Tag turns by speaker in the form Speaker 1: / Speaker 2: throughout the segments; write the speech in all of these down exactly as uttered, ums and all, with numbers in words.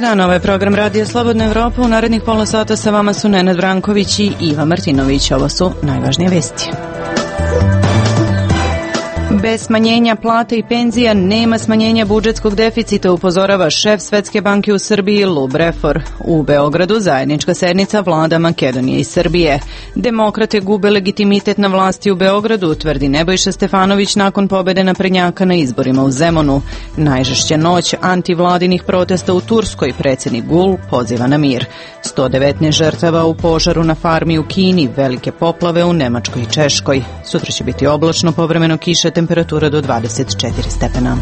Speaker 1: dan, ovo je program Radija Slobodna Evropa. U narednih pola sata sa vama su Nenad Branković i Iva Martinović. Ovo su najvažnije vesti. Bez smanjenja plata i penzija nema smanjenja budžetskog deficita, upozorava šef Svetske banke u Srbiji Lub Refor. U Beogradu zajednička sednica vlada Makedonije i Srbije. Demokrate gube legitimitet na vlasti u Beogradu, tvrdi Nebojša Stefanović nakon pobede naprednjaka na izborima u Zemunu. Najžešća noć antivladinih protesta u Turskoj, predsjednik Gul poziva na mir. sto devetnaest žrtava u požaru na farmi u Kini, velike poplave u Nemačkoj i Češkoj. Sutra će biti oblačno, povremeno kiše, temperatura do dvadeset četiri stepena.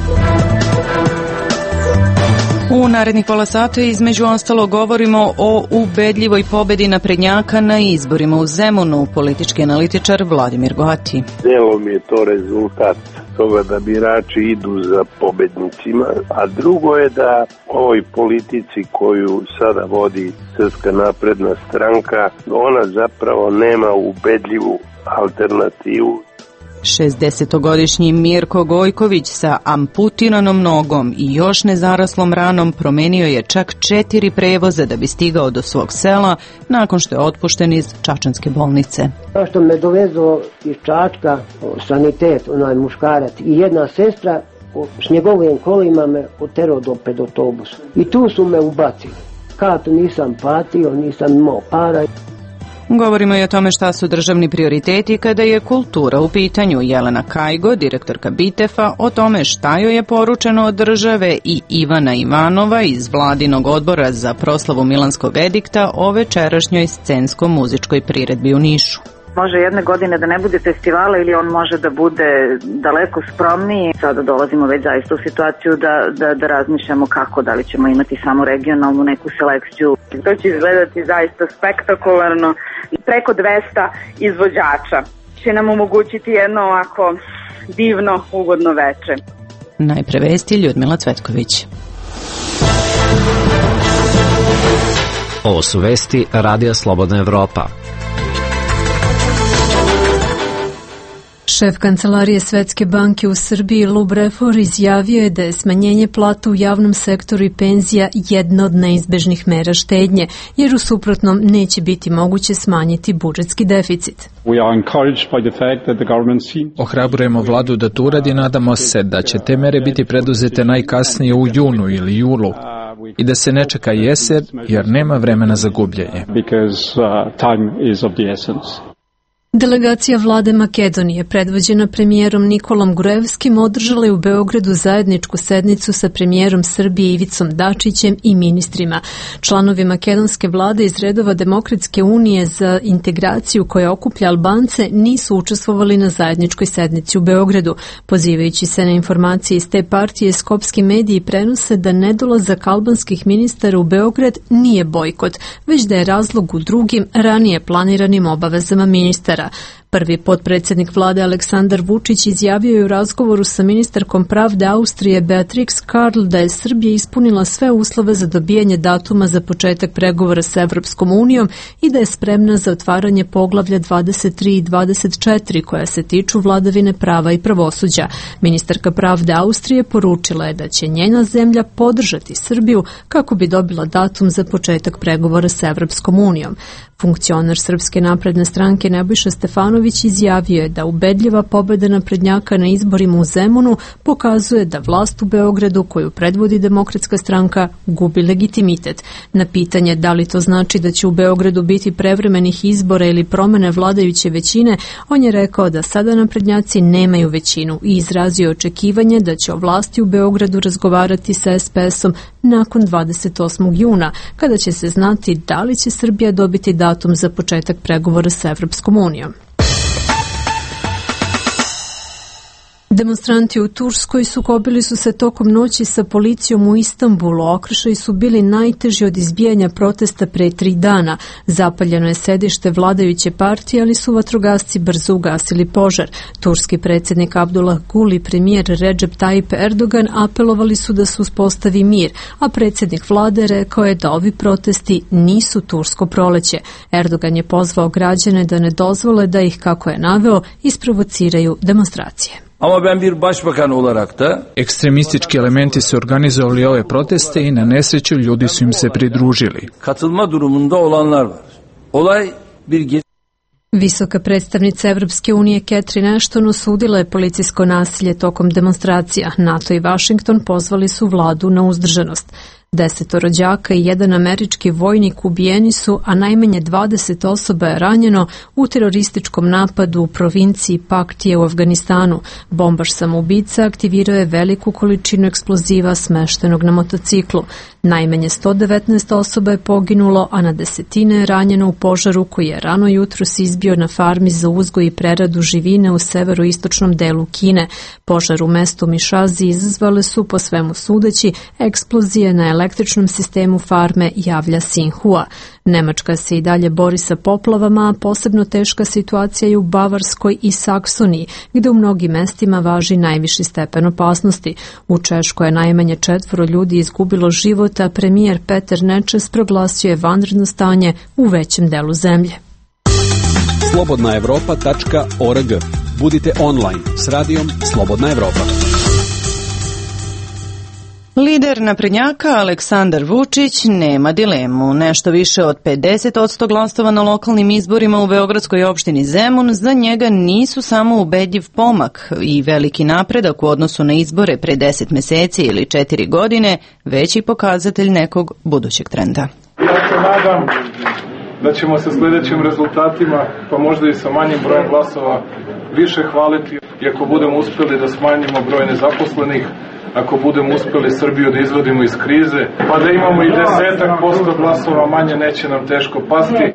Speaker 1: U narednih pola sata između ostalo govorimo o ubedljivoj pobedi naprednjaka na izborima u Zemunu, politički analitičar Vladimir Goati.
Speaker 2: Delom je to rezultat toga da birači idu za pobednicima, a drugo je da ovoj politici koju sada vodi Srpska napredna stranka, ona zapravo nema ubedljivu alternativu.
Speaker 1: šezdesetogodišnji Mirko Gojković sa amputiranom nogom i još nezaraslom ranom promenio je čak četiri prevoza da bi stigao do svog sela nakon što je otpušten iz čačanske bolnice.
Speaker 3: Što me dovezo iz Čačka, sanitet, onaj muškarac i jedna sestra, s njegovim kolima me oterao do pred autobusa. I tu su me ubacili. Kartu nisam platio, nisam imao para.
Speaker 1: Govorimo i o tome šta su državni prioriteti kada je kultura u pitanju. Jelena Kajgo, direktorka Bitefa, o tome šta joj je poručeno od države, i Ivana Ivanova iz Vladinog odbora za proslavu Milanskog edikta o večerašnjoj scensko-muzičkoj priredbi u Nišu.
Speaker 4: Može jedne godine da ne bude festivala ili on može da bude daleko skromniji. Sada dolazimo već zaista u situaciju da, da, da razmišljamo kako, da li ćemo imati samo regionalnu neku selekciju. To će izgledati zaista spektakularno. Preko dvesta izvođača će nam omogućiti jedno ovako divno, ugodno veče.
Speaker 1: Najpre vesti, Ljudmila Cvetković.
Speaker 5: Ovo su vesti Radija Slobodna Evropa.
Speaker 6: Šef Kancelarije Svetske banke u Srbiji Lub Refor izjavio je da je smanjenje plata u javnom sektoru i penzija jedna od neizbežnih mera štednje, jer u suprotnom neće biti moguće smanjiti budžetski deficit.
Speaker 7: Ohrabrujemo vladu da to uradi i nadamo se da će te mere biti preduzete najkasnije u junu ili julu i da se ne čeka jesen jer nema vremena za gubljenje.
Speaker 6: Delegacija vlade Makedonije, predvođena premijerom Nikolom Gruevskim, održala je u Beogradu zajedničku sednicu sa premijerom Srbije Ivicom Dačićem i ministrima. Članovi makedonske vlade iz redova Demokratske unije za integraciju koja okuplja Albance nisu učestvovali na zajedničkoj sednici u Beogradu. Pozivajući se na informacije iz te partije, skopski mediji prenose da nedolazak albanskih ministara u Beograd nije bojkot, već da je razlog u drugim, ranije planiranim obavezama ministara. Prvi potpredsjednik vlade Aleksandar Vučić izjavio je u razgovoru sa ministarkom pravde Austrije Beatrix Karl da je Srbija ispunila sve uslove za dobijanje datuma za početak pregovora sa Evropskom unijom i da je spremna za otvaranje poglavlja dvadeset tri i dvadeset četiri koja se tiču vladavine prava i pravosuđa. Ministarka pravde Austrije poručila je da će njena zemlja podržati Srbiju kako bi dobila datum za početak pregovora sa Evropskom unijom. Funkcionar Srpske napredne stranke Nebojša Stefanović izjavio je da ubedljiva pobeda naprednjaka na izborima u Zemunu pokazuje da vlast u Beogradu koju predvodi Demokratska stranka gubi legitimitet. Na pitanje da li to znači da će u Beogradu biti prevremenih izbora ili promene vladajuće većine, on je rekao da sada naprednjaci nemaju većinu i izrazio očekivanje da će o vlasti u Beogradu razgovarati sa es pe esom nakon dvadeset osmog juna, kada će se znati da li će Srbija dobiti datum za početak pregovora sa Evropskom unijom. Demonstranti u Turskoj sukobili su se tokom noći sa policijom u Istanbulu. Okršaji su bili najteži od izbijanja protesta pre tri dana. Zapaljeno je sedište vladajuće partije, ali su vatrogasci brzo ugasili požar. Turski predsjednik Abdullah Gül i premijer Recep Tayyip Erdogan apelovali su da se uspostavi mir, a predsjednik vlade rekao je da ovi protesti nisu tursko proleće. Erdogan je pozvao građane da ne dozvole da ih, kako je naveo, isprovociraju demonstracije.
Speaker 8: Ama ben bir başbakan olarak da
Speaker 7: ekstremistički elementi su organizovali ove proteste i na nesreću ljudi su im se pridružili.
Speaker 8: Katılma durumunda olanlar var. Olay bir
Speaker 6: Visoka predstavnica Evropske unije Catherine Ashton osudila je policijsko nasilje tokom demonstracija. NATO i Washington pozvali su vladu na uzdržanost. Desetoro đaka i jedan američki vojnik ubijeni su, a najmanje dvadeset osoba je ranjeno u terorističkom napadu u provinciji Paktije u Afganistanu. Bombaš samoubica aktivirao je veliku količinu eksploziva smeštenog na motociklu. Najmanje sto devetnaest osoba je poginulo, a na desetine je ranjeno u požaru koji je rano jutros izbio na farmi za uzgoj i preradu živine u severoistočnom delu Kine. Požar u mestu Mišazi izazvale su, po svemu sudeći, eksplozije na električnom sistemu farme, javlja Sinhua. Nemačka se i dalje bori sa poplavama, a posebno teška situacija je u Bavarskoj i Saksoniji, gde u mnogim mestima važi najviši stepen opasnosti. U Češkoj je najmanje četvoro ljudi izgubilo život, a premijer Peter Nečes proglasio je vanredno stanje u većem delu zemlje.
Speaker 9: slobodna evropa tačka org. Budite online s radijom Slobodna Evropa.
Speaker 1: Lider naprednjaka Aleksandar Vučić nema dilemu. Nešto više od pedeset posto glasova na lokalnim izborima u beogradskoj opštini Zemun za njega nisu samo ubedljiv pomak i veliki napredak u odnosu na izbore pre deset meseci ili četiri godine, već i pokazatelj nekog budućeg trenda.
Speaker 10: Ja se nadam da ćemo sa sljedećim rezultatima, pa možda i sa manjim brojem glasova, više hvaliti. I ako budemo uspjeli da smanjimo broj nezaposlenih, ako budemo uspjeli Srbiju da izvodimo iz krize, pa da imamo i desetak posto glasova manje, neće nam teško pasti.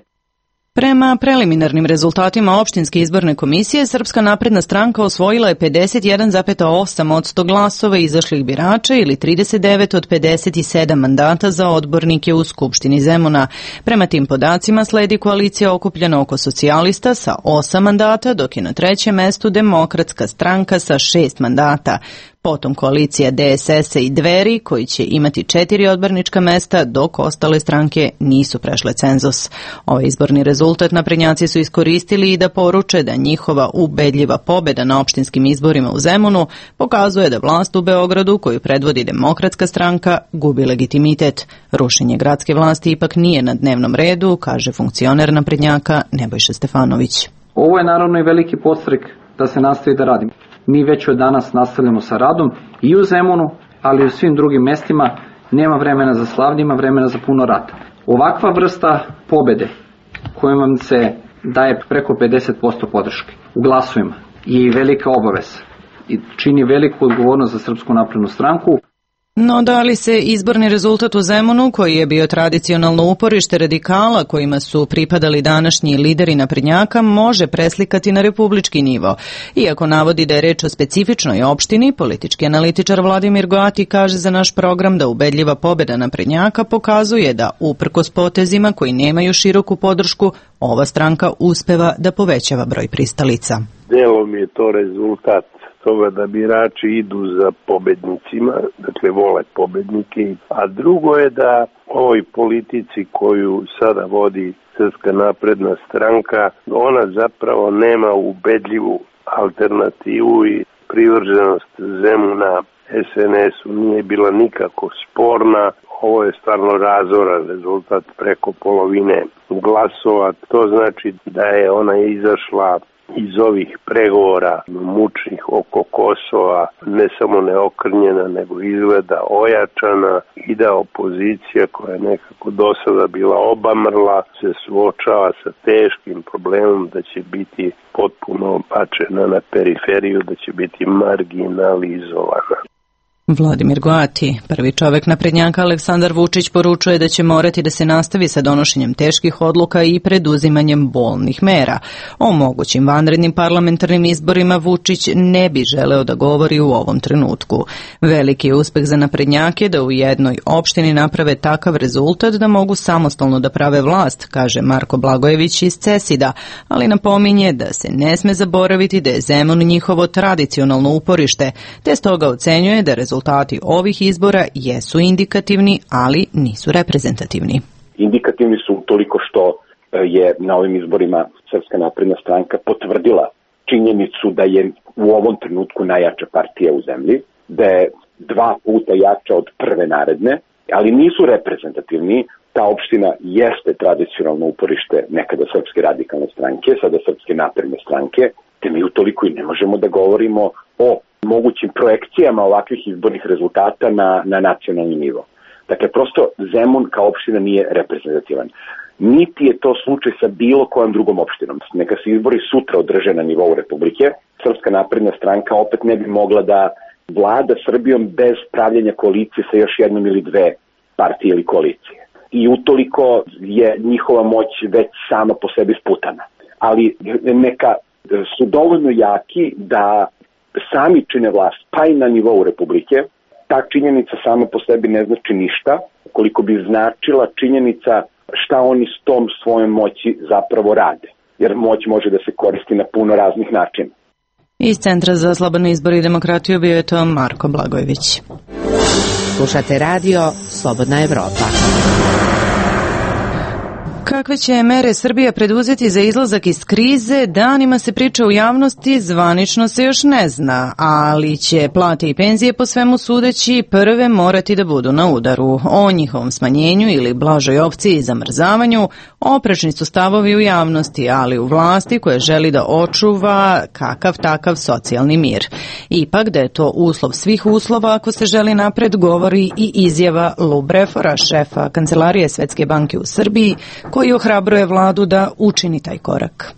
Speaker 1: Prema preliminarnim rezultatima opštinske izborne komisije, Srpska napredna stranka osvojila je pedeset jedan zarez osam posto glasova izašlih birača ili trideset devet od pedeset sedam mandata za odbornike u Skupštini Zemuna. Prema tim podacima sledi koalicija okupljena oko socijalista sa osam mandata, dok je na trećem mestu Demokratska stranka sa šest mandata. Potom koalicija D S S-a i Dveri, koji će imati četiri odbornička mesta, dok ostale stranke nisu prešle cenzus. Ovaj izborni rezultat naprednjaci su iskoristili i da poruče da njihova ubedljiva pobeda na opštinskim izborima u Zemunu pokazuje da vlast u Beogradu, koju predvodi Demokratska stranka, gubi legitimitet. Rušenje gradske vlasti ipak nije na dnevnom redu, kaže funkcioner naprednjaka Nebojša Stefanović.
Speaker 11: Ovo je naravno i veliki podstrek da se nastavi da radimo. Mi već od danas nastavljamo sa radom i u Zemunu, ali i u svim drugim mestima. Nema vremena za slavlje, ima vremena za puno rada. Ovakva vrsta pobede kojom vam se daje preko pedeset posto podrške u glasovima je velika obaveza i čini veliku odgovornost za Srpsku naprednu stranku.
Speaker 1: No da li se izborni rezultat u Zemunu, koji je bio tradicionalno uporište radikala kojima su pripadali današnji lideri naprednjaka, može preslikati na republički nivo? Iako navodi da je reč o specifičnoj opštini, politički analitičar Vladimir Goati kaže za naš program da ubedljiva pobeda naprednjaka pokazuje da, uprkos potezima koji nemaju široku podršku, ova stranka uspeva da povećava broj pristalica.
Speaker 2: Delom je to rezultat toga da birači idu za pobednicima, dakle vole pobednike, a drugo je da ovoj politici koju sada vodi Srpska napredna stranka, ona zapravo nema ubedljivu alternativu i privrženost Zemuna S N S-u nije bila nikako sporna. Ovo je stvarno razoran rezultat, preko polovine glasova. To znači da je ona izašla iz ovih pregovora mučnih oko Kosova ne samo neokrnjena, nego izgleda ojačana i da opozicija koja je nekako do sada bila obamrla se suočava sa teškim problemom da će biti potpuno bačena na periferiju, da će biti marginalizovana.
Speaker 1: Vladimir Goati, prvi čovek naprednjaka Aleksandar Vučić, poručuje da će morati da se nastavi sa donošenjem teških odluka i preduzimanjem bolnih mera. O mogućim vanrednim parlamentarnim izborima Vučić ne bi želeo da govori u ovom trenutku. Veliki je uspeh za naprednjake da u jednoj opštini naprave takav rezultat da mogu samostalno da prave vlast, kaže Marko Blagojević iz Cesida, ali napominje da se ne sme zaboraviti da je Zemun njihovo tradicionalno uporište, te stoga ocenjuje da rezultat Rezultati ovih izbora jesu indikativni, ali nisu reprezentativni.
Speaker 12: Indikativni su toliko što je na ovim izborima Srpska napredna stranka potvrdila činjenicu da je u ovom trenutku najjača partija u zemlji, da je dva puta jača od prve naredne, ali nisu reprezentativni. Ta opština jeste tradicionalno uporište nekada Srpske radikalne stranke, sada Srpske napredne stranke, te mi utoliko i ne možemo da govorimo o mogućim projekcijama ovakvih izbornih rezultata na, na nacionalni nivo. Dakle, prosto Zemun kao opština nije reprezentativan. Niti je to slučaj sa bilo kojom drugom opštinom. Neka se izbori sutra održe na nivou Republike, Srpska napredna stranka opet ne bi mogla da vlada Srbijom bez pravljenja koalicije sa još jednom ili dve partije ili koalicije. I utoliko je njihova moć već sama po sebi sputana. Ali neka su dovoljno jaki da sami čine vlast, pa i na nivou Republike. Ta činjenica sama po sebi ne znači ništa, koliko bi značila činjenica šta oni s tom svojom moći zapravo rade. Jer moć može da se koristi na puno raznih načina.
Speaker 1: Iz Centra za slobodne izbore i demokratiju bio je to Marko Blagojević.
Speaker 13: Slušate radio Slobodna Evropa.
Speaker 1: Kakve će mere Srbija preduzeti za izlazak iz krize, danima se priča u javnosti, zvanično se još ne zna, ali će plate i penzije po svemu sudeći prve morati da budu na udaru. O njihovom smanjenju ili blažoj opciji i zamrzavanju oprečni su stavovi u javnosti, ali u vlasti koja želi da očuva kakav takav socijalni mir. Ipak da je to uslov svih uslova ako se želi napred, govori i izjava Lubrefora, šefa Kancelarije Svetske banke u Srbiji, koji ohrabruje vladu da učini taj korak.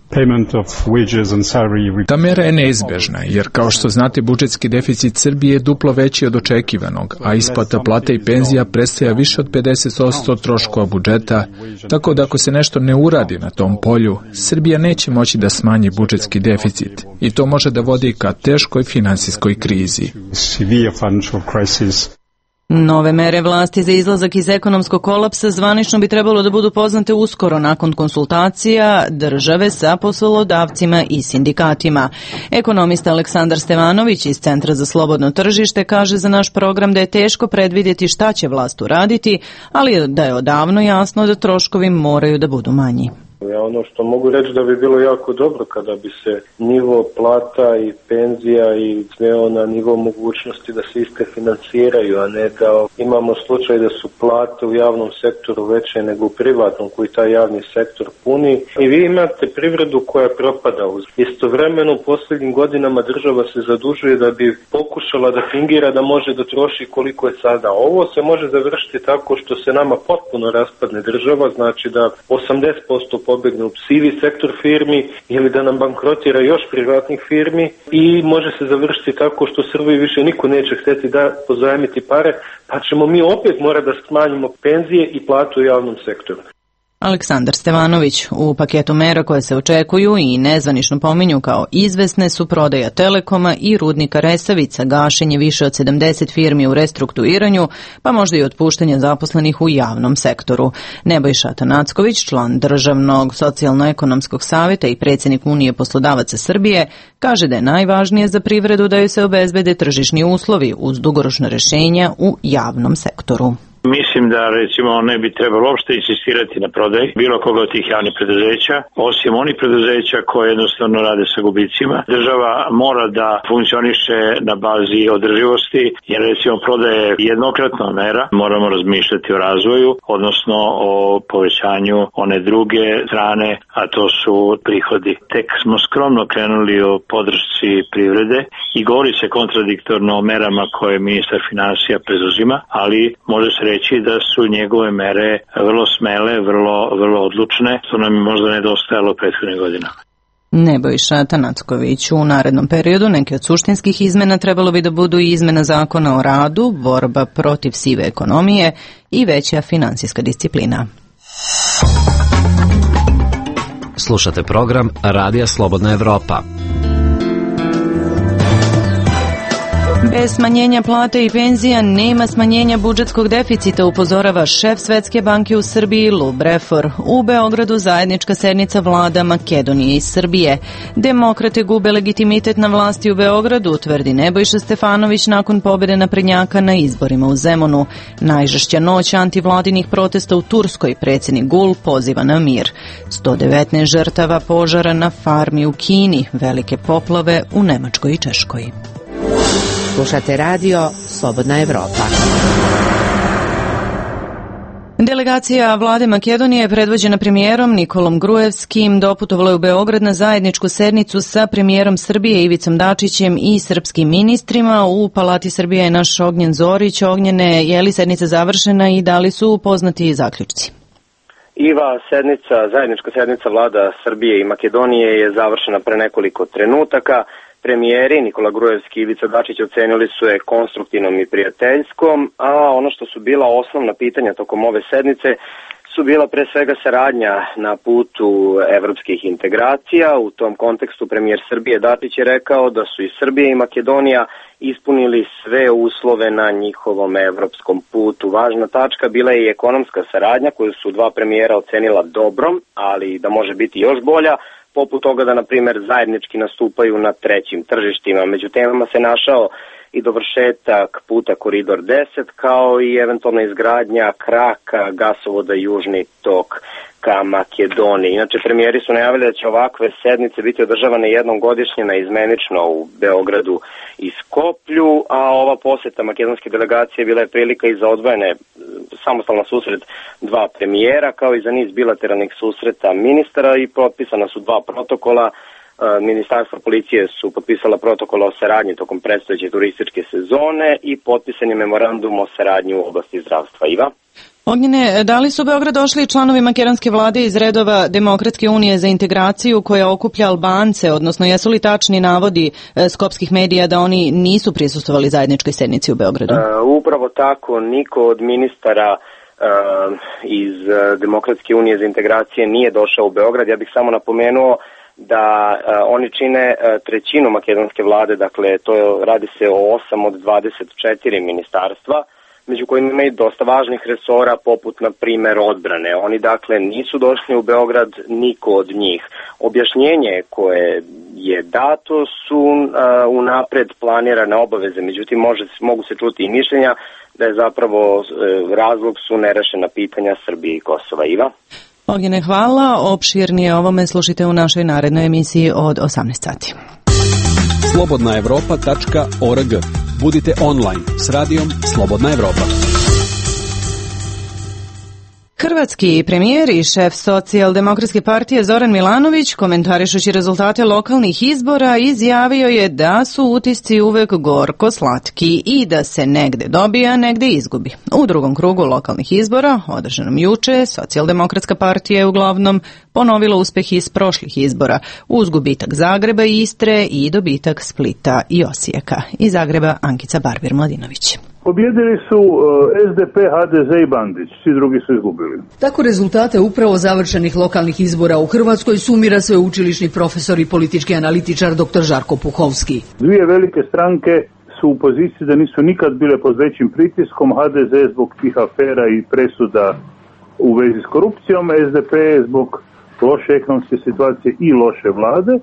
Speaker 7: Ta mera je neizbežna, jer kao što znate budžetski deficit Srbije je duplo veći od očekivanog, a isplata plata i penzija predstavlja više od pedeset posto troškova budžeta, tako da ako se nešto ne uradi na tom polju, Srbija neće moći da smanji budžetski deficit i to može da vodi ka teškoj finansijskoj krizi.
Speaker 1: Nove mere vlasti za izlazak iz ekonomskog kolapsa zvanično bi trebalo da budu poznate uskoro nakon konsultacija države sa poslodavcima i sindikatima. Ekonomista Aleksandar Stevanović iz Centra za slobodno tržište kaže za naš program da je teško predvidjeti šta će vlast uraditi, ali da je odavno jasno da troškovi moraju da budu manji.
Speaker 14: Ja ono što mogu reći da bi bilo jako dobro kada bi se nivo plata i penzija i sveo na nivo mogućnosti da se iste finansiraju, a ne da imamo slučaj da su plate u javnom sektoru veće nego u privatnom koji taj javni sektor puni. I vi imate privredu koja propada. Istovremeno u posljednjim godinama država se zadužuje da bi pokušala da fingira da može da troši koliko je sada. Ovo se može završiti tako što se nama potpuno raspadne država, znači da osamdeset posto pobegne u sivi sektor firmi ili da nam bankrotira još privatnih firmi i može se završiti tako što Srbiji više niko neće hteti da pozajmiti pare, pa ćemo mi opet morati da smanjimo penzije i platu u javnom sektoru.
Speaker 1: Aleksandar Stevanović, u paketu mera koje se očekuju i nezvanično pominju kao izvesne su prodaja Telekoma i rudnika Resavica, gašenje više od sedamdeset firmi u restrukturiranju, pa možda i otpuštanje zaposlenih u javnom sektoru. Nebojša Tanacković, član Državnog socijalno-ekonomskog savjeta i predsjednik Unije poslodavaca Srbije, kaže da je najvažnije za privredu da joj se obezbede tržišni uslovi uz dugoročna rješenja u javnom sektoru.
Speaker 15: Mislim da recimo ne bi trebalo uopšte insistirati na prodaj bilo koga od tih javnih preduzeća, osim onih preduzeća koje jednostavno rade sa gubicima. Država mora da funkcioniše na bazi održivosti, jer recimo prodaje jednokratna mera, moramo razmišljati o razvoju, odnosno o povećanju one druge strane, a to su prihodi. Tek smo skromno krenuli o podršci privrede i govori se kontradiktorno o merama koje ministar finansija preduzima, ali može se reći da su njegove mere vrlo smele, vrlo, vrlo odlučne, što nam je možda nedostajalo prethodne godine.
Speaker 1: Nebojša Tanacković, u narednom periodu neke od suštinskih izmena trebalo bi da budu i izmena zakona o radu, borba protiv sive ekonomije i veća finansijska disciplina.
Speaker 5: Slušate program Radija Slobodna Evropa.
Speaker 1: Bez smanjenja plate i penzija nema smanjenja budžetskog deficita, upozorava šef Svetske banke u Srbiji Lou Brefor. U Beogradu zajednička sednica vlada Makedonije i Srbije. Demokrate gube legitimitet na vlasti u Beogradu, tvrdi Nebojša Stefanović nakon pobjede naprednjaka na izborima u Zemunu. Najžešća noć antivladinih protesta u Turskoj, predsjednik Gul poziva na mir. sto devetnaest žrtava požara na farmi u Kini, velike poplave u Nemačkoj i Češkoj.
Speaker 13: Slušate radio Slobodna Evropa.
Speaker 1: Delegacija vlade Makedonije, predvođena premijerom Nikolom Gruevskim, doputovala je u Beograd na zajedničku sednicu sa premijerom Srbije Ivicom Dačićem i srpskim ministrima. U Palati Srbije je naš Ognjen Zorić. Ognjene, je li sednica završena i da li su poznati zaključci?
Speaker 16: Iva, sednica, zajednička sednica vlada Srbije i Makedonije je završena pre nekoliko trenutaka. Premijeri Nikola Gruevski i Ivica Dačić ocenili su je konstruktivnom i prijateljskom, a ono što su bila osnovna pitanja tokom ove sednice su bila pre svega saradnja na putu evropskih integracija. U tom kontekstu premijer Srbije Dačić je rekao da su i Srbija i Makedonija ispunili sve uslove na njihovom evropskom putu. Važna tačka bila je i ekonomska saradnja koju su dva premijera ocenila dobrom, ali da može biti još bolja, poput toga da, na primjer, zajednički nastupaju na trećim tržištima. Među temama se našao i dovršetak puta Koridor deset, kao i eventualna izgradnja kraka gasovoda Južni tok ka Makedoniji. Inače, premijeri su najavili da će ovakve sednice biti održavane jednom godišnje na izmenično u Beogradu i Skoplju, a ova poseta makedonske delegacije bila je prilika i za odvojene samostalan susret dva premijera, kao i za niz bilateralnih susreta ministara, i potpisana su dva protokola. Ministarstvo policije su potpisala protokol o saradnji tokom predstojeće turističke sezone i potpisan je memorandum o saradnji u oblasti zdravstva. Iva?
Speaker 1: Ognjene, da li su u Beograd došli članovi makedonske vlade iz redova Demokratske unije za integraciju koja okuplja Albance, odnosno jesu li tačni navodi skopskih medija da oni nisu prisustvovali zajedničkoj sednici u Beogradu?
Speaker 16: Uh, upravo tako, niko od ministara uh, iz Demokratske unije za integracije nije došao u Beograd. Ja bih samo napomenuo da uh, oni čine uh, trećinu makedonske vlade, dakle to je, radi se o osam od dvadeset četiri ministarstva, među kojima ima i dosta važnih resora, poput, na primer, odbrane. Oni, dakle, nisu došli u Beograd, niko od njih. Objašnjenje koje je dato su uh, unapred planirane obaveze, međutim, može, mogu se čuti i mišljenja da je zapravo uh, razlog su nerešena pitanja Srbije i Kosova. Iva?
Speaker 1: Ognjene, hvala. Opširnije ovome slušajte u našoj narednoj emisiji od osamnaest sati.
Speaker 9: slobodna evropa tačka org. Budite online s radijom Slobodna Evropa.
Speaker 1: Hrvatski premijer i šef Socijaldemokratske partije Zoran Milanović, komentarišući rezultate lokalnih izbora, izjavio je da su utisci uvek gorko slatki i da se negde dobija, negde izgubi. U drugom krugu lokalnih izbora, održanom juče, Socijaldemokratska partija je uglavnom ponovila uspeh iz prošlih izbora, uz gubitak Zagreba i Istre i dobitak Splita i Osijeka. Iz Zagreba Ankica Barbir-Mladinović.
Speaker 17: Pobjedili su S D P, H D Z i Bandić, svi drugi su izgubili.
Speaker 18: Tako rezultate upravo završenih lokalnih izbora u Hrvatskoj sumira sveučilišni profesor i politički analitičar dr. Žarko Puhovski.
Speaker 17: Dvije velike stranke su u poziciji da nisu nikad bile pod većim pritiskom, H D Z zbog tih afera i presuda u vezi s korupcijom, S D P zbog loše ekonomske situacije i loše vlade.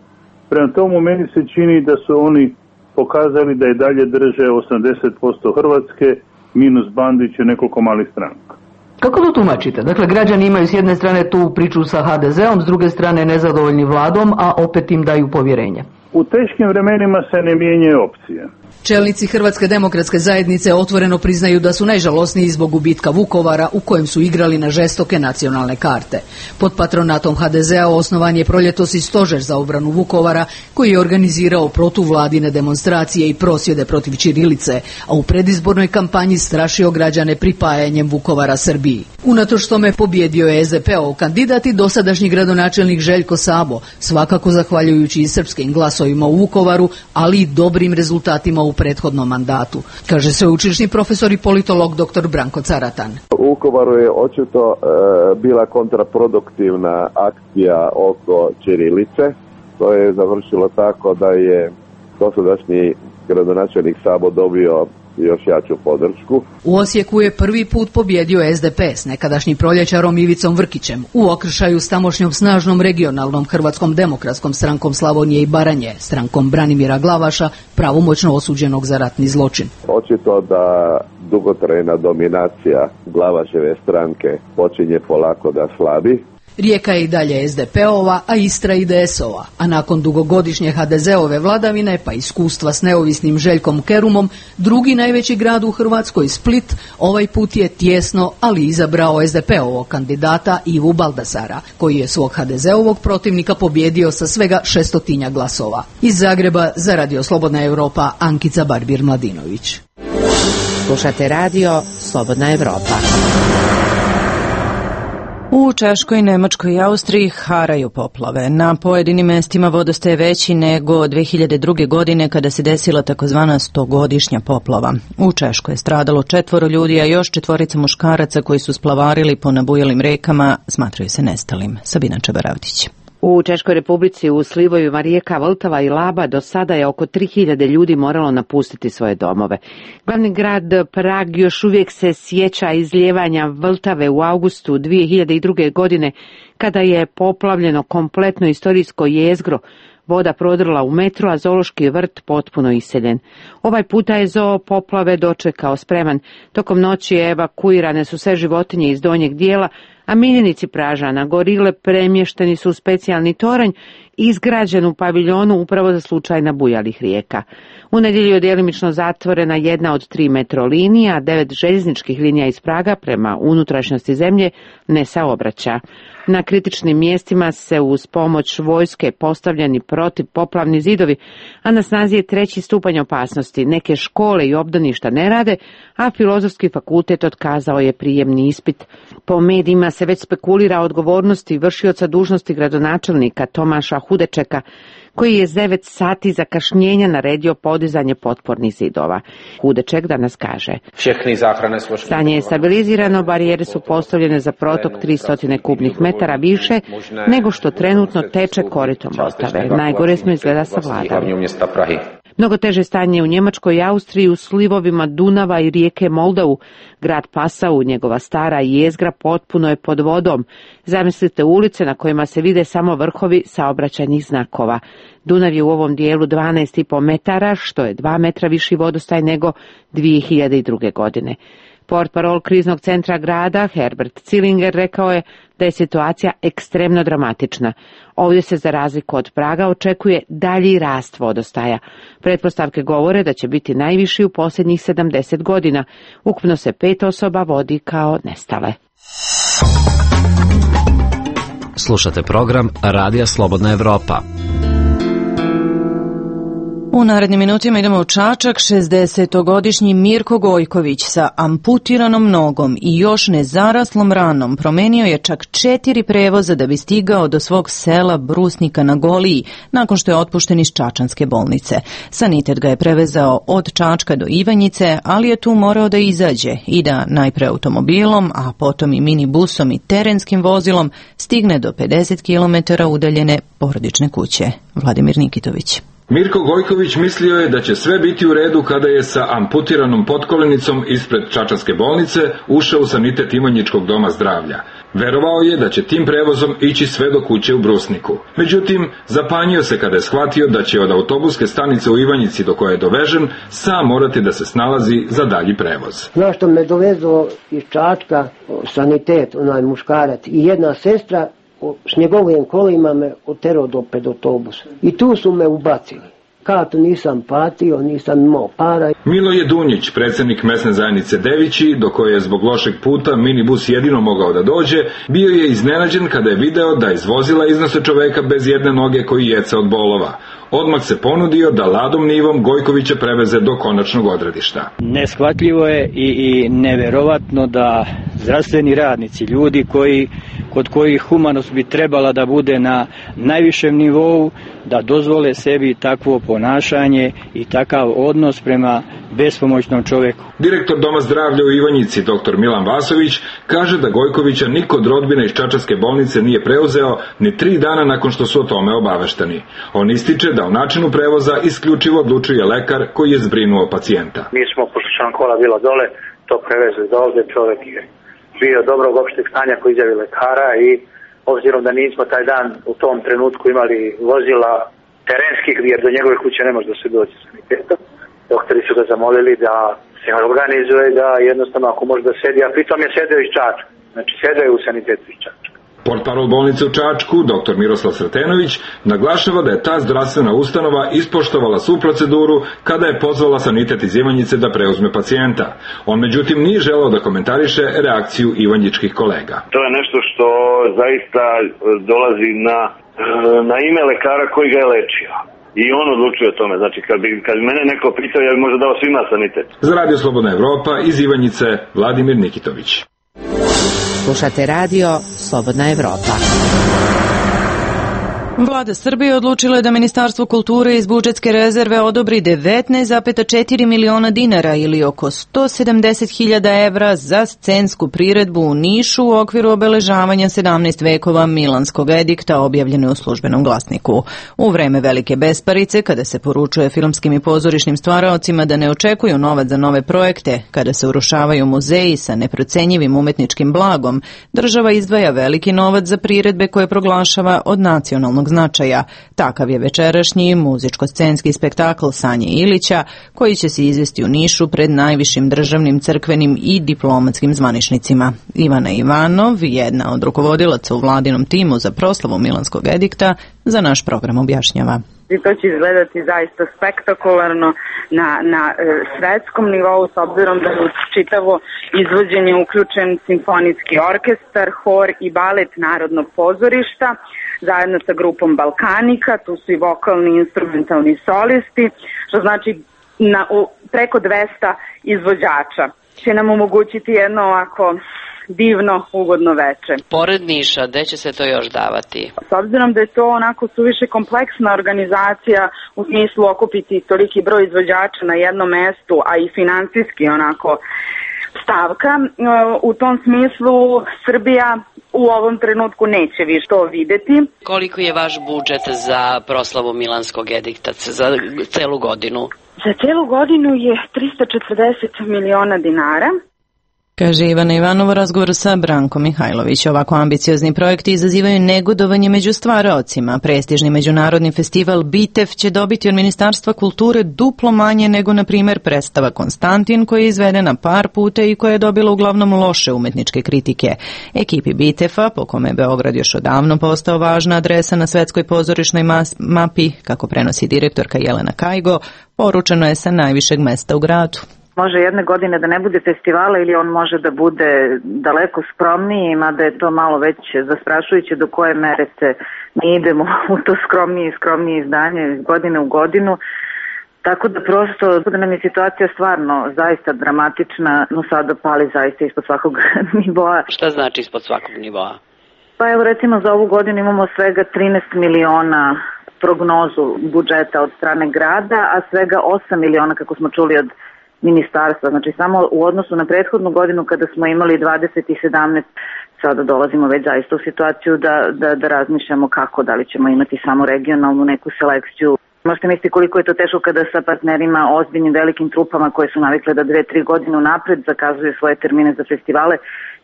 Speaker 17: Prema tomu meni se čini da su oni pokazali da i dalje drže osamdeset posto Hrvatske minus Bandić i nekoliko malih stranaka.
Speaker 18: Kako to tumačite? Dakle, građani imaju s jedne strane tu priču sa H D Z-om, s druge strane nezadovoljni vladom, a opet im daju povjerenje.
Speaker 17: U teškim vremenima se ne mijenjaju opcije.
Speaker 18: Čelnici Hrvatske demokratske zajednice otvoreno priznaju da su najžalosniji zbog gubitka Vukovara u kojem su igrali na žestoke nacionalne karte. Pod patronatom H D Z-a osnovan je proljetos i stožer za obranu Vukovara koji je organizirao protuvladine demonstracije i prosvjede protiv ćirilice, a u predizbornoj kampanji strašio građane pripajanjem Vukovara Srbiji. Unatoč tome pobjedio je S D P-ov kandidat i dosadašnji gradonačelnik Željko Sabo, svakako zahvaljujući i srpskim glasovima u Vukovaru, ali i dobrim rezultatima u prethodnom mandatu, kaže sveučilišni profesor i politolog dr. Branko Caratan.
Speaker 19: U Vukovaru je očito e, bila kontraproduktivna akcija oko ćirilice. To je završilo tako da je dosadašnji gradonačelnik Sabo dobio još jaču podršku.
Speaker 18: U Osijeku je prvi put pobjedio es de pe s nekadašnjim proljećarom Ivicom Vrkićem u okršaju s tamošnjom snažnom regionalnom Hrvatskom demokratskom strankom Slavonije i Baranje, strankom Branimira Glavaša, pravomoćno osuđenog za ratni zločin.
Speaker 19: Očito da dugotrajna dominacija Glavaševe stranke počinje polako da slabi.
Speaker 18: Rijeka je i dalje es de pe-ova, a Istra i de es ova, a nakon dugogodišnje ha de ze-ove vladavine pa iskustva s neovisnim Željkom Kerumom, drugi najveći grad u Hrvatskoj, Split, ovaj put je tjesno, ali izabrao es de pe-ovog kandidata Ivu Baldasara, koji je svog ha de ze-ovog protivnika pobjedio sa svega šestotinja glasova. Iz Zagreba za Radio Slobodna Evropa, Ankica Barbir-Mladinović.
Speaker 13: Slušate radio Slobodna Evropa.
Speaker 1: U Češkoj, Nemačkoj i Austriji haraju poplave. Na pojedinim mestima vodostaj je veći nego dve hiljade druge. godine kada se desila takozvana stogodišnja poplava. U Češkoj je stradalo četvoro ljudi, a još četvorica muškaraca koji su splavarili po nabujalim rekama smatraju se nestalim. Sabina Čabaravdić.
Speaker 20: U Češkoj Republici u slivovima rijeka Vltava i Laba do sada je oko tri hiljade ljudi moralo napustiti svoje domove. Glavni grad Prag još uvijek se sjeća izlijevanja Vltave u avgustu dvije hiljade druge. godine kada je poplavljeno kompletno istorijsko jezgro. Voda prodrla u metro, a zoološki vrt potpuno iseljen. Ovaj puta je zoo poplave dočekao spreman. Tokom noći evakuirane su sve životinje iz donjeg dijela, a miljenici Pražana, gorile, premješteni su u specijalni toranj izgrađen u paviljonu upravo za slučaj nabujalih rijeka. U nedjelju je djelimično zatvorena jedna od tri metro linija, a devet željezničkih linija iz Praga prema unutrašnjosti zemlje ne saobraća. Na kritičnim mjestima se uz pomoć vojske postavljeni protivpoplavni zidovi, a na snazi je treći stupanj opasnosti. Neke škole i obdaništa ne rade, a Filozofski fakultet otkazao je prijemni ispit. Po medijima se već spekulira o odgovornosti vršioca dužnosti gradonačelnika Tomaša Hudečeka, koji je s devet sati zakašnjenja naredio podizanje potpornih zidova. Hudeček danas kaže: stanje je stabilizirano, barijere su postavljene za protok tristo kubnih metara više nego što trenutno teče koritom Vltave. Najgore smo izgleda savladali. Mnogo teže stanje u Njemačkoj i Austriji u slivovima Dunava i rijeke Moldavu. Grad Passau, njegova stara jezgra, potpuno je pod vodom. Zamislite ulice na kojima se vide samo vrhovi saobraćajnih znakova. Dunav je u ovom dijelu dvanaest i po metara, što je dva metra viši vodostaj nego dvije hiljade druge. godine. Portparol kriznog centra grada, Herbert Zillinger, rekao je da je situacija ekstremno dramatična. Ovdje se za razliku od Praga očekuje dalji rast vodostaja. Pretpostavke govore da će biti najviši u posljednjih sedamdeset godina. Ukupno se pet osoba vodi kao nestale.
Speaker 5: Slušate program Radija Slobodna Evropa.
Speaker 1: U narednim minutima idemo u Čačak. šezdesetogodišnji Mirko Gojković sa amputiranom nogom i još nezaraslom ranom promenio je čak četiri prevoza da bi stigao do svog sela Brusnika na Goliji, nakon što je otpušten iz čačanske bolnice. Sanitet ga je prevezao od Čačka do Ivanjice, ali je tu morao da izađe i da najpre automobilom, a potom i minibusom i terenskim vozilom stigne do pedeset kilometara udaljene porodične kuće. Vladimir Nikitović.
Speaker 21: Mirko Gojković mislio je da će sve biti u redu kada je sa amputiranom potkolenicom ispred čačanske bolnice ušao u sanitet Ivanjičkog doma zdravlja. Verovao je da će tim prevozom ići sve do kuće u Brusniku. Međutim, zapanjio se kada je shvatio da će od autobuske stanice u Ivanjici do koje je dovežen sam morati da se snalazi za dalji prevoz.
Speaker 3: Znaš što me dovezlo iz Čačka, sanitet, onaj muškarac i jedna sestra, s njegovim kolima me oterao do pred autobusa. I tu su me ubacili. Kartu nisam platio, nisam imao para.
Speaker 21: Miloje Dunjić, predsjednik mesne zajednice Devići, do koje je zbog lošeg puta minibus jedino mogao da dođe, bio je iznenađen kada je video da iz vozila iznose čoveka bez jedne noge koji jeca od bolova. Odmah se ponudio da ladom nivom Gojkovića preveze do konačnog odredišta.
Speaker 22: Neshvatljivo je i, i neverovatno da
Speaker 4: zdravstveni radnici, ljudi koji, kod kojih humanost bi trebala da bude na najvišem nivou, da dozvole sebi takvo ponašanje i takav odnos prema bespomoćnom čoveku.
Speaker 21: Direktor Doma zdravlja u Ivanjici, dr Milan Vasović, kaže da Gojkovića niko od rodbine iz Čačanske bolnice nije preuzeo ni tri dana nakon što su o tome obavešteni. On ističe da u načinu prevoza isključivo odlučuje lekar koji je zbrinuo pacijenta.
Speaker 22: Mi smo, pošto će nam kola bila dole, to prevezli do ovde, čovek je bio dobrog opšteg stanja koji izjavi lekara i obzirom da nismo taj dan u tom trenutku imali vozila terenskih, jer do njegove kuće ne može da se dođe sanitetom, doktori su ga zamolili da se organizuje, da jednostavno ako može da sedi, a pritom je sedeo iz Čačka, znači sedeo je u sanitetu iz Čačka.
Speaker 21: Portparol bolnice u Čačku, dr Miroslav Sretenović, naglašava da je ta zdravstvena ustanova ispoštovala svu proceduru kada je pozvala sanitet iz Ivanjice da preuzme pacijenta. On međutim nije želeo da komentariše reakciju ivanjičkih kolega.
Speaker 23: To je nešto što zaista dolazi na, na ime lekara koji ga je lečio. I on odlučuje o tome. Znači, kad bi, kad bi mene neko pitao, ja bi možda dao svima sanitet.
Speaker 21: Za Radio Slobodna Evropa iz Ivanjice, Vladimir Nikitović.
Speaker 13: Slušate radio Slobodna Evropa.
Speaker 1: Vlada Srbije odlučila je da Ministarstvo kulture iz budžetske rezerve odobri devetnaest zarez četiri miliona dinara ili oko sto sedamdeset hiljada evra za scensku priredbu u Nišu u okviru obeležavanja sedamnaest vekova Milanskog edikta objavljene u Službenom glasniku. U vreme velike besparice, kada se poručuje filmskim i pozorišnim stvaraocima da ne očekuju novac za nove projekte, kada se urušavaju muzeji sa neprocenjivim umetničkim blagom, država izdvaja veliki novac za priredbe koje proglašava od nacionalnog značaja. Takav je večerašnji muzičko-scenski spektakl Sanje Ilića, koji će se izvesti u Nišu pred najvišim državnim, crkvenim i diplomatskim zvaničnicima. Ivana Ivanov, jedna od rukovodilaca u vladinom timu za proslavu Milanskog edikta, za naš program objašnjava.
Speaker 24: I to će izgledati zaista spektakularno na, na e, svetskom nivou, s obzirom da je u čitavo izvođenje uključen simfonijski orkestar, hor i balet Narodnog pozorišta, zajedno sa grupom Balkanika, tu su i vokalni i instrumentalni solisti, što znači na, u, preko dvesta izvođača. Će nam omogućiti jedno ovako divno, ugodno veče.
Speaker 25: Pored Niša, gde će se to još davati?
Speaker 24: S obzirom da je to onako suviše kompleksna organizacija u smislu okupiti toliki broj izvođača na jednom mestu, a i finansijski onako stavka, u tom smislu Srbija u ovom trenutku neće više to videti.
Speaker 25: Koliko je vaš budžet za proslavu Milanskog edikta za celu godinu?
Speaker 24: Za celu godinu je tristo četrdeset miliona dinara.
Speaker 1: Kaže Ivana Ivanova u razgovoru sa Brankom Mihajlović. Ovako ambiciozni projekti izazivaju negodovanje među stvaraocima. Prestižni međunarodni festival Bitev će dobiti od Ministarstva kulture duplo manje nego, na primjer, predstava Konstantin, koja je izvedena par puta i koja je dobila uglavnom loše umetničke kritike. Ekipi Bitefa, po kome je Beograd još odavno postao važna adresa na svetskoj pozorišnoj mapi, kako prenosi direktorka Jelena Kajgo, poručeno je sa najvišeg mesta u gradu.
Speaker 26: Može jedne godine da ne bude festivala ili on može da bude daleko skromniji, mada je to malo već zastrašujuće do koje mere se mi idemo u to skromnije i skromnije izdanje iz godine u godinu. Tako da prosto da nam je situacija stvarno zaista dramatična, no sada pali zaista ispod svakog nivoa.
Speaker 25: Šta znači ispod svakog nivoa?
Speaker 26: Pa evo recimo za ovu godinu imamo svega trinaest miliona prognozu budžeta od strane grada, a svega osam miliona kako smo čuli od ministarstva. Znači samo u odnosu na prethodnu godinu kada smo imali dvadeset i sedamnaest, sada dolazimo već zaista u situaciju da, da, da razmišljamo kako, da li ćemo imati samo regionalnu neku selekciju. Možete misliti koliko je to teško kada sa partnerima, ozbiljnim velikim trupama koje su navikle da dve, tri godine unapred zakazuju svoje termine za festivale,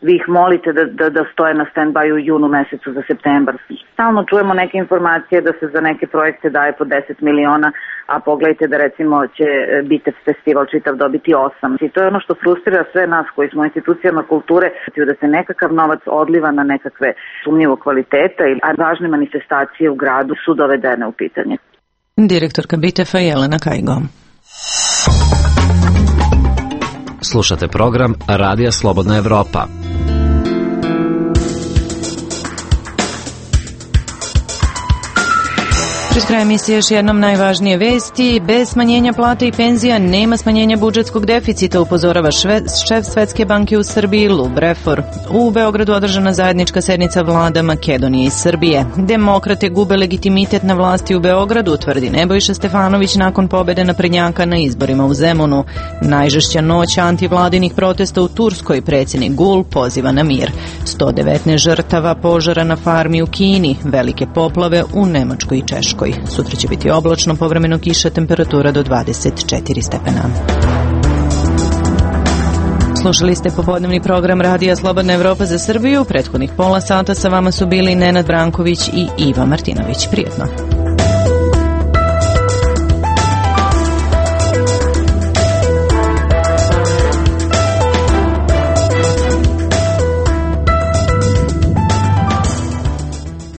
Speaker 26: vi ih molite da, da, da stoje na stand-by u junu mesecu za septembar. Stalno čujemo neke informacije da se za neke projekte daje po deset miliona, a pogledajte da recimo će Bitev festival čitav dobiti osam. I to je ono što frustrira sve nas koji smo u institucijama kulture, da se nekakav novac odliva na nekakve sumnjivo kvaliteta, a važne manifestacije u gradu su dovedene u pitanje.
Speaker 1: Direktorka Bitefa Jelena Kajgo.
Speaker 5: Slušate program Radija Slobodna Evropa.
Speaker 1: Pred kraj emisije još jednom najvažnije vesti. Bez smanjenja plata i penzija nema smanjenja budžetskog deficita, upozorava šve, šef Svetske banke u Srbiji Lub Refor. U Beogradu održana zajednička sednica vlada Makedonije i Srbije. Demokrate gube legitimitet na vlasti u Beogradu, tvrdi Nebojša Stefanović nakon pobede naprednjaka na izborima u Zemunu. Najžešća noć antivladinih protesta u Turskoj, predsjednik Gul poziva na mir. sto devetnaest žrtava požara na farmi u Kini, velike poplave u Nemačkoj i Češkoj. Sutra će biti oblačno, povremeno kiša, temperatura do dvadeset četiri stepena. Slušali ste popodnevni program Radija Slobodna Evropa za Srbiju. Prethodnih pola sata sa vama su bili Nenad Branković i Iva Martinović. Prijetno.